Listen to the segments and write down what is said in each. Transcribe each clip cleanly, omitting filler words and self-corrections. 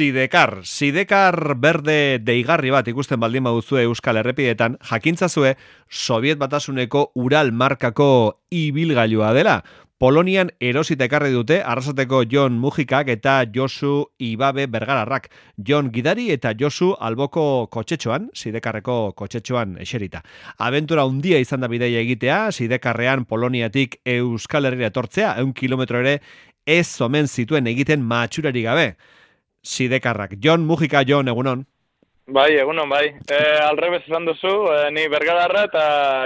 Sidekar berde deigarri bat ikusten baldin baduzue Euskal Errepidetan, jakintzazue Soviet Batasuneko Ural markako ibilgailua dela. Polonian erosita ekarri dute Arrasateko Jon Mujikak eta Josu Ibabe Bergararrak. Jon gidari eta Josu alboko kotxetxoan, Sidekarreko kotxetxoan eserita. Abentura handia izan da bidaia egitea, Sidekarrean Poloniatik Euskal Herrira etortzea, 100 kilometro ere ez omen zituen egiten matxurari gabe. Sidekarrak. Jon Mujika, Jon, egunon. Bai, egunon, bai. Alrebez esan duzu, ni Bergararra eta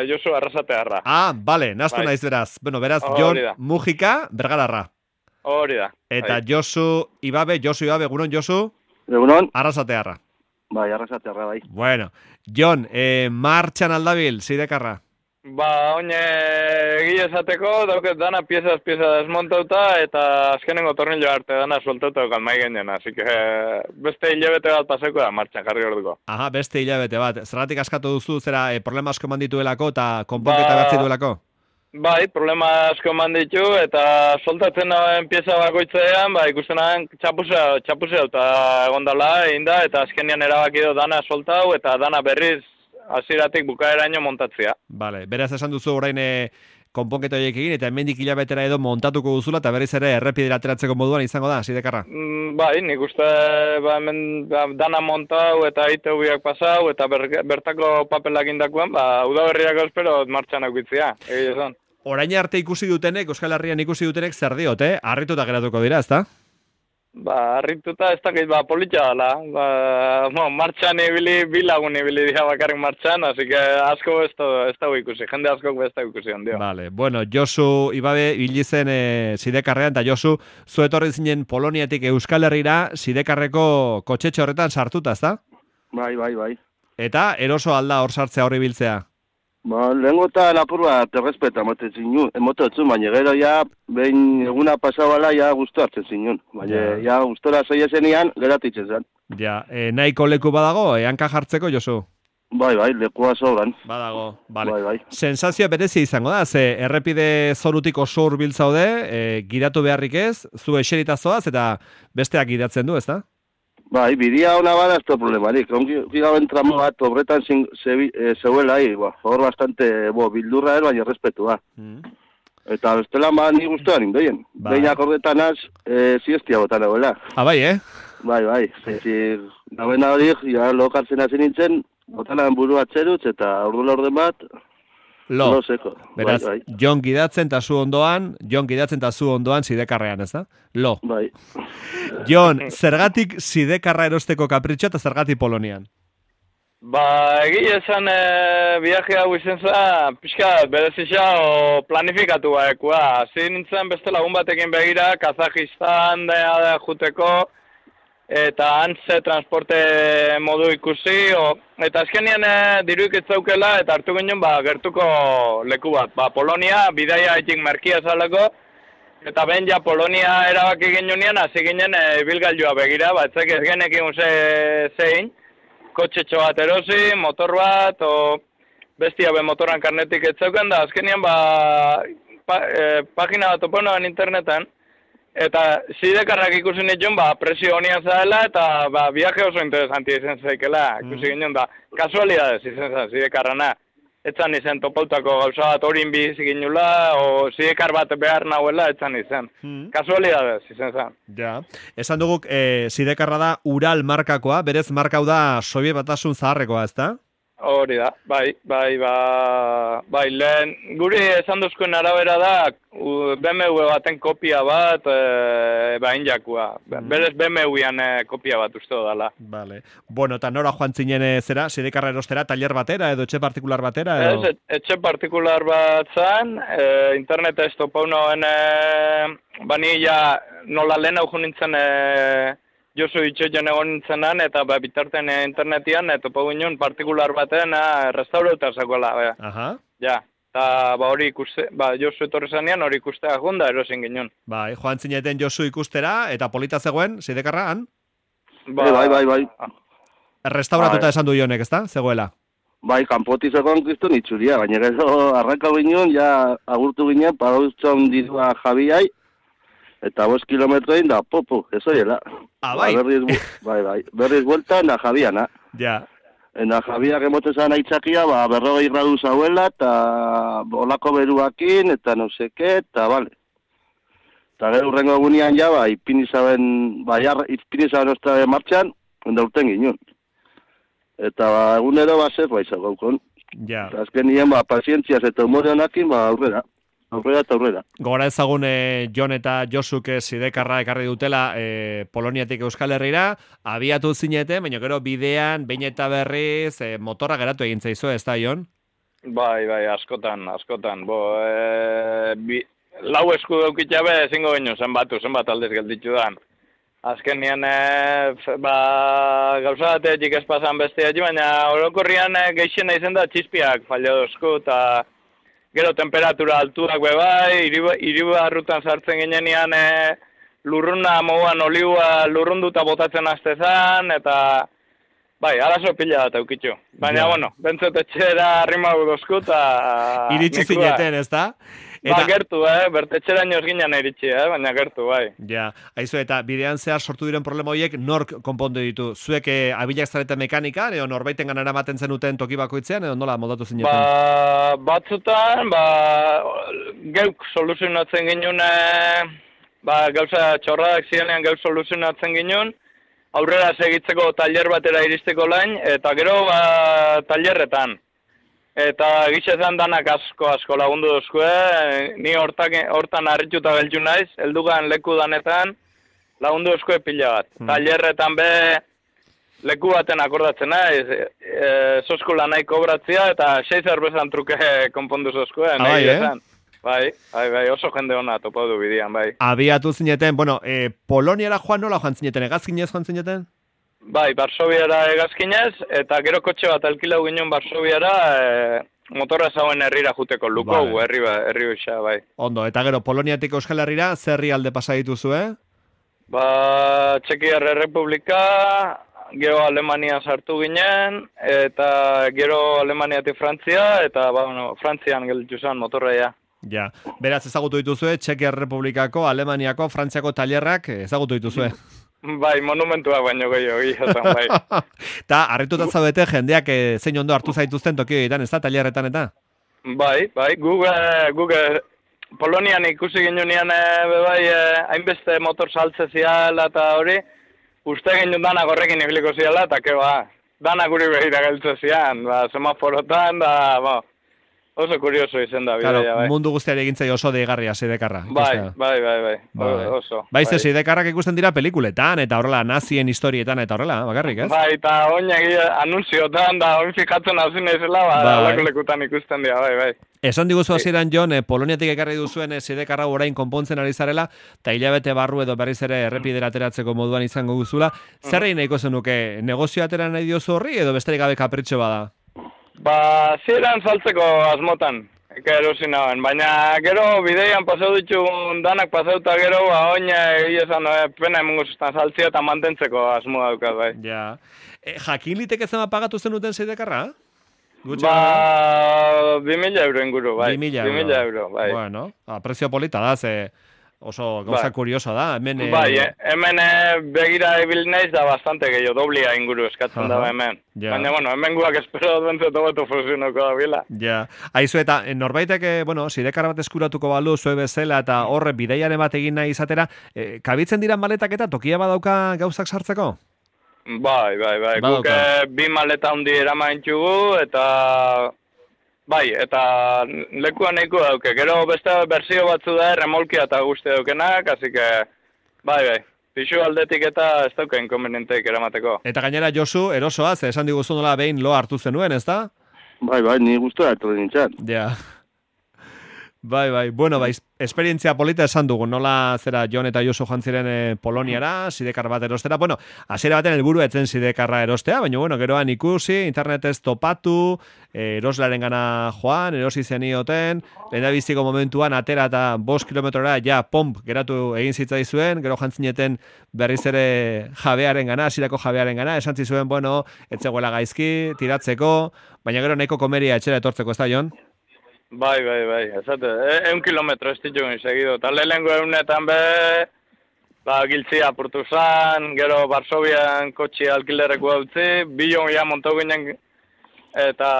Josu Arrasatearra. Bale, naztu naiz beraz. Bueno, beraz, Jon Mujika, Bergararra. Hori da. Eta bai. Josu Ibabe, egunon, Josu? Egunon. Arrasatearra. Bai, Arrasatearra, bai. Bueno, Jon, martxan aldabil, Sidekarra? Oine egia esateko, dauket dana piezaz desmontauta eta azkenengo tornillo arte dana sueltauta daukat mai genen, así que beste hilabete bat paseko da martxan jarri orduko. Aha, beste hilabete bat. Zergatik askatu duzu, zera problema asko mandituelako eta konponketa bertzi duelako? Bai, problema asko manditu eta soltatzen dauen pieza bakoitzean, ikusten nahen txapusea eta egondala egin da eta azkenean erabaki du dana soltau eta dana berriz hasieratik bukaeraino montatzea. Vale, beraz esan duzu orain konponketa horiek egin eta hemendik hilabetera edo montatuko duzula eta berriz ere errepidera ateratzeko moduan izango da, Sidekarra? Bai, nik uste hemen dana montau eta ITV-ak pasau eta bertako papelak indakuan, udaberriako espero martxan aukitzea, egia esan. Orain arte ikusi dutenek, Euskal Herrian ikusi dutenek zer diote, harrituta geratuko dira, ezta? Harrituta ez dakit, politxa dela. Martxan ibili, bilagun ibili dira bakarrik martxan, así que asko ez dago ikusi, jende asko ez dago ikusi ondio. Vale, bueno, Josu Ibabe hilizen Sidekarrean, eta Josu, zu etorri zinen Poloniatik Euskal Herrira Sidekarreko kotxetxo horretan sartuta, ezta? Bai. Eta eroso alda hor sartzea horri biltzea? Lehenko eta lapur bat errespeta emotetzen, baina gero ja, behin eguna pasabala, ja guztu hartzen zinun. Baina ja guztora zeiesenian, geratitzen zen. Ja, nahiko leku badago, hanka jartzeko, Josu? Bai, lekua sobran. Badago, bale. Bai. Sensazioa berezia izango da, ze errepide zorutik oso hurbiltzaude, giratu beharrik ez, zu eserita zoaz, eta besteak gidatzen du, ezta? Bai, bidia hona bada ez da problemarik. Ongi gaben tramo bat obretan zeuela, hor bastante bildurra baina errespetua. Eta bestelan ni guztuan indoien. Behinak horretan az, siestia botan egoela. Bai, Bai. Gabena horik, ja lokartzen hasi nintzen, botanan buru atzerutz eta orden bat, lo seko. Beraz, Jon gidatzen eta zu ondoan Sidekarrean, ez da? Lo. Bai. Jon, zergatik Sidekarra erosteko kapritxo eta zergatik Polonian? Egia esan viaje hau izen zen, pixka berezisa o planifikatu baekua. Hasi nintzen beste lagun batekin begira, Kazajistan juteko, eta antze transporte modu ikusi, eta azkenean diruik ez zaukela, eta hartu ginen gertuko leku bat. Polonia, bidaia etik merkia zaleko, eta behin ja Polonia erabaki ginean, hasi ginen ibilgailua begira, etzek ez genekin zein, kotxetxo bat erosi, motor bat, bestia motoran karnetik ez zauken, da azkenean pagina bat oponoan internetan, eta Sidekarrak ikusi nituen, presio honian zaela, eta viaje oso interesantia izan zaikela, ikusi ginen da, kasualidades izan zen Sidekarrana. Etzan izen topautako gauza bat horin bizik inula, o Sidekar bat behar nahuela, etzan izen. Kasualidades izan zen. Ja, esan duguk Sidekarra da Ural markakoa, berez markau da Soviet Batasun zaharrekoa, ezta? Hori da, bai, lehen, guri esan duzkoen arabera da, BMW baten kopia bat, injakua. Berez BMW-an kopia bat uste dala. Vale. Bueno, eta nora joan zinen zera, Sidekarra erostera, taller batera, edo etxe partikular batera? Ez, etxe partikular bat zan, internet ez topaunoen, banilla nola lehen hau nintzen, Josu itxoion egon nintzenan, eta bitarten internetian, eta topo ginen partikular baten restaurauta zakoela. Ja, eta hori ikuste, Josu etorri zanean hori ikustea junda erosin ginen. Bai, joan zineten Josu ikustera, eta polita zegoen, Sidekarra, han? Bai. Restauratuta esan du jonek, ezta? Zegoela? Bai, kanpoti zegoen kriston itxuria, baina gero arranka ginen, ja agurtu ginen, parauztxon dirua Javiai, Eta 5 kilometro egin da, ez oiela. Bai. Berriz buelta, na Javiana. Ja. Ena Javiak emotezan aitzakia, 40 gradu zauela, eta olako beruakin, eta no seke, eta bale. Eta gero urrengo egunean ja, ipinizaben ostra martxan, onda urten ginen. Eta egunero zer, izan gaukon. Ja. Azken nien, pazientziaz eta humore honakin, aurrera. Aurrera. Gora ezagun Jon eta Josuk Sidekarra ekarri dutela Poloniatik Euskal Herrira, abiatu zinete, baina gero bidean, behin eta berriz, motorra geratu egin zaizu, ez da, Jon? Bai, askotan. Lau esku daukitxabe ezingo baino zenbat aldez gelditu dan. Azken nien, gauza batetik ez pasan besteak, baina orokorrian geixena izen da txispiak fallo dozku, eta gero temperatura altuak bebai, iribarrutan sartzen ginenean lurruna moguan oliua lurrunduta botatzen aztezan, eta bai, arazo pila bat eukitxu. Baina, bentzot etxera arrimau dozku, eta iritsi zineten, ez da? Gertu, bertetxera inoz ginen iritsi, baina gertu, bai. Ja, haizu, eta bidean zehar sortu diren problema horiek nork konpondu ditu? Zuek abilak zarete mekanikan, edo norbaiten ganara maten zenuten toki bakoitzean, edo nola moldatu zineten? Batzutan, geuk soluzionatzen ginen, gauza txorradak zirenean geuk soluzionatzen ginen, aurrera segitzeko taller batera iristeko lain, eta gero tallerretan. Eta gixezan danak asko lagundu duzkue, ni hortan harrituta geltu naiz, heldugan leku danetan lagundu duzkue pila bat. Tallerretan be leku baten akordatzen naiz, zoskula nahi kobratzia eta 6 zerbezan truke konpondu zozkue. Bai, oso jende hona topo du bidian, bai. Abiatu zineten, Poloniara nola joan zineten, egazkinez joan zineten? Bai, Varsoviara egazkinez, eta gero kotxe bat alkilau ginen Varsoviara motorra zauen herrira juteko, Lukou, herri bisa, bai. Ondo, eta gero Poloniatik Euskal Herrira, zerri alde pasa dituzu, Txekiar Errepublika, gero Alemania sartu ginen, eta gero Alemaniatik Frantzia, eta Frantzian gelditu zen motorraia. Ja, beraz ezagutu dituzue, Txekiar Errepublikako, Alemaniako, Frantziako tailerrak ezagutu dituzue. Bai, monumentua baino gehiago, bai. Ta, harrituta zaudete jendeak zein ondo hartu zaituzten tokioetan, ez da, tailerretan eta? Bai, Google Polonian ikusi ginean hainbeste motor saltze ziala eta hori, uste ginen danak horrekin ibiliko ziala, eta danak guri behira geltze zian, semaforotan, oso kurioso izen da bidea, bai. Mundu guztiari egintzai oso deigarria Sidekarra. Bai, oso. Bai, Sidekarrak ikusten dira pelikuletan, eta horrela, nazien historietan, eta horrela, bakarrik, ez? Bai, eta oinak anunziotan, da oin fikatzen hau zinezela, alako lekutan ikusten dira, bai. Esan diguzu hasieran Jon, Poloniatik ekarri duzuen Sidekarra orain konpontzen ari zarela, eta hilabete barru edo berriz ere errepidera ateratzeko moduan izango guzula. Zerrein nahiko zenuke, negozio atera nahi diozu horri, edo besterik gabe kapritxo bada? Ziren saltzeko asmotan, erosi nagoen, baina gero bideian pasau ditun danak pasauta gero, oin egizan pena emungo zuztan saltzia eta mantentzeko asmoa dukat, bai. Ja. Jakin liteke zema pagatu zenuten Sidekarra? 2.000 euro inguru, bai. 2.000 euro, bai. Bueno, prezio polita da, oso gauza kurioso da. Bai, hemen begira ibil naiz da bastante gehiago, doblia inguru eskatzen da hemen. Baina, hemen guak espero dentzeto beto funtzionoko da bila. Ja, haizu eta norbaitek, Sidekarra bat eskuratuko balu, zue bezala eta horre bideiaren bat egin nahi izatera, kabitzen dira maletak eta tokia badauka gauzak sartzeko? Bai, guk 2 maleta handi eramaintxugu eta... Bai, eta lekuan nahiko dauke. Gero beste berzio batzu da, remolkia eta guzti daukenak, así que, bai. Pixu aldetik eta ez dauke inkonvenienteik eramateko. Eta gainera Josu, erosoaz, esan diguzu nola behin lo hartu zenuen, ez da? Bai, ni guztua hartu nintzen. Ja. Bai, bueno, esperientzia polita esan dugu, nola zera Jon eta Josu joan ziren Poloniara, Sidekar bat erostera. Bueno, hasiera baten helburu etzen Sidekarra erostea, baina geroan ikusi, internetez topatu, eroslaren gana joan, erosi zenioten, lehendabiziko momentuan atera eta 5 kilometrora ja pomp geratu egin zitzaizuen, gero jantzineten berriz ere jabearen gana, hasierako jabearen gana, esan zizuen, etzegoela gaizki, tiratzeko, baina gero nahiko komeria etxera etortzeko, ez da, Jon? Bai, esate, 100 kilometro ez ditugun segido. Eta lehenengo egunetan be, giltzia apurtu zan, gero Varsovian kotxi alkilereko utzi, bilon ja montu ginen, eta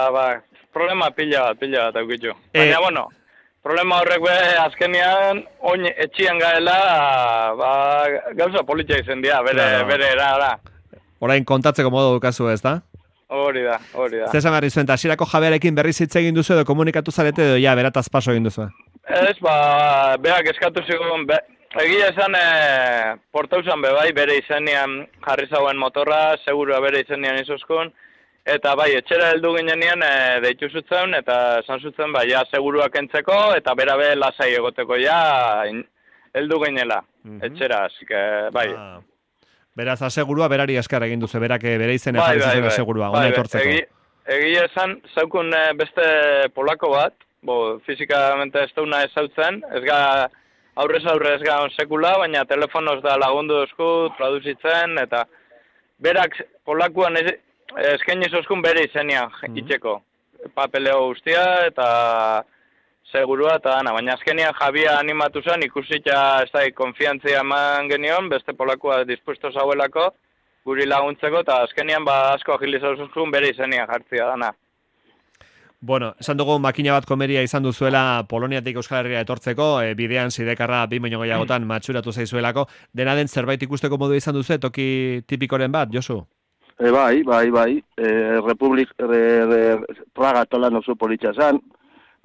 problema pila bat aukitu. Baina, bueno, problema horrek be, azkenian, oin etxian gaela, gauza politia izen dira, bere era. Orain kontatzeko modu dukazu ez da? Hori da. Zesan garri zuen, eta hasierako jabearekin berriz hitz egin duzu edo komunikatu zarete edo ja, berataz paso egin duzu? Ez, beak eskatu zigun, egia esan portauzan bai, bere izenian jarri zauen motorra, segurua bere izenian izuzkun, eta bai, etxera heldu ginean deitu zutzen, eta esan zutzen, ja, seguruak entzeko, eta bera be lasai egoteko, ja, heldu ginela, etxera, asik, bai. Beraz, asegurua berari eskar egin duzu, berak bere izena jarri zuen asegurua, ona etortzeko. Egia esan, zaukun beste polako bat, fizikamente ez dauna ezautzen, ez ga aurrez ez ga sekula, baina telefonoz da lagundu duzku, traduzitzen, eta berak polakuan eskaini zozkun bere izenia itxeko. Papeleo guztia, eta segurua, eta baina azkenian Jabia animatu zen, ikusita ez da, konfiantzia eman genion, beste polakua dispuesto zauelako, guri laguntzeko, eta azkenian asko agilizazuzun bere izenia jartzia dana. Bueno, esan dugu makina bat komeria izan duzuela Poloniatik Euskal Herria etortzeko, bidean Sidekarra 2 baino gehiagotan matxuratu zaizuelako, dena den zerbait ikusteko modu izan duzu, toki tipikoren bat, Josu? Bai, Praga tolan oso politxa zan,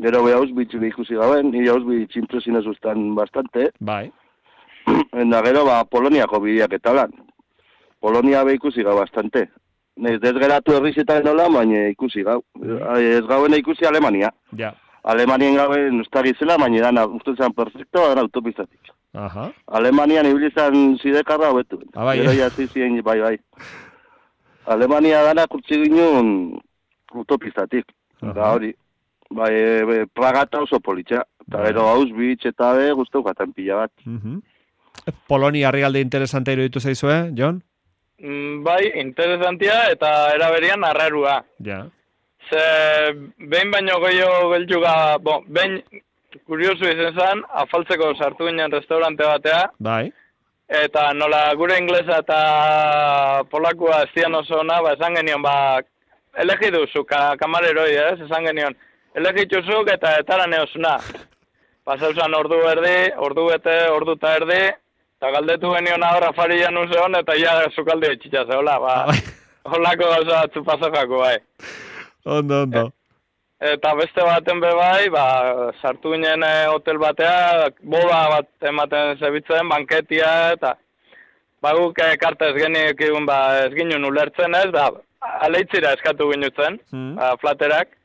gero be Auschwitz ikusi gaben, ni Auschwitz impresionez ustan bastante. Bai. Eta gero Poloniako bideak eta lan. Polonia be ikusi gau bastante. Ez desgeratu herrizetan nola, baina ikusi gau. Ez gauen ikusi Alemania. Ja. Alemanian gauen ustagizela, baina dana ustetzen perfecto, gara autopistatik. Aha. Alemanian ibilizan Sidekarra hobetu. Bai. Gero jasi zien, bai. Alemania dana kurtsi ginen autopistatik. Da hori. Bai, Praga eta oso politxa. Eta gero Auschwitz eta guztu gatan pila bat. Polonia herrialde interesante iruditu zaizue, Jon? Bai, interesantia eta eraberian arrarua. Ja. Ze, behin baino gehiago geltxuga, behin kuriosu izan zen, afaltzeko sartu ginen restaurante batea. Bai. Eta nola gure inglesa eta polakua ez dian oso ona, esan genion, elegi duzu, kamareroi, esan genion, elegituzuk eta etara neosuna. Pasauzan ordu erdi, ordu bete, ordu eta erdi, eta galdetu genion ahora farian useon, eta ja zukalde etxitza zehola, holako gauza batzu pasokako, bai. Ondo. Eta beste baten bai, sartu ginen hotel batea, boda bat ematen zebitzen, banketia, eta guk karta ez geniekin, ez ginen ulertzen ez, aleitzira eskatu ginutzen, flaterak.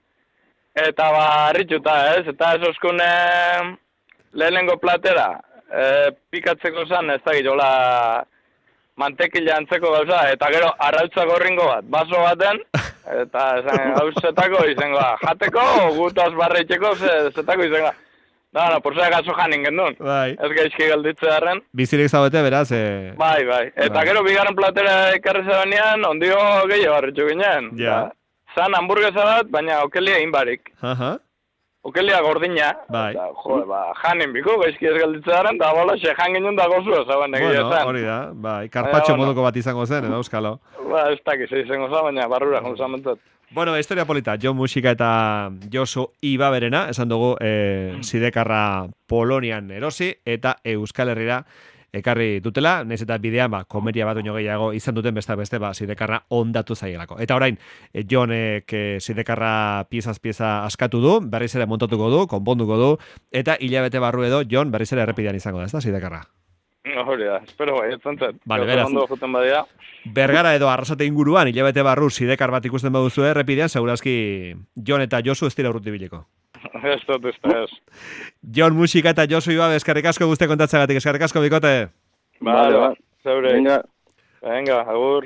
Eta harrituta ez, eta ez oskun lehenengo platera, pikatzeko zan, ez da girola mantekila antzeko gauza, eta gero arrautza gorringo bat, baso baten, eta hauzetako izango da, jateko, gutaz barreitzeko, zetako izango da. Da, porzea gazo janin gendun, ez gaizki galditze darren. Bizirik zaudete, beraz? Bai, eta gero bigarren platera ekarri zebenean, ondio gehiago harritxu ginen. Ja. Zan hamburguesa bat, baina okelia inbarik. Okelia gordina. Bai. Janin biko, gaizki ez galditze daren, da bola, xe jan ginen da gozua zaban egia zan. Bueno, hori da, bai, karpatxo moduko bat izango zen, edo euskalo. Ez dakiz izango zan, baina barrura jonzan mentot. Bueno, historia polita, Jon Musika eta Josu Ibaberena, esan dugu Sidekarra Polonian erosi, eta Euskal Herrira ekarri dutela, nahiz eta bidean, komeria bat oino gehiago izan duten beste, Sidekarra ondatu zaielako. Eta orain, Jonek Sidekarra pieza askatu du, berriz ere montatuko du, konponduko du, eta hilabete barru edo, Jon berriz ere errepidean izango da, ez da, Sidekarra? Hori da, espero bai, etzantzat. Vale, beraz, Bergara edo Arrasate inguruan, hilabete barru Sidekar bat ikusten baduzu errepidean, segurazki Jon eta Josu ez dira urruti biliko. Ez. Jon Musika eta Josu Ibabe, eskerrik asko guzti kontatzagatik, eskerrik asko bikote. Vale, zeure. Venga, agur.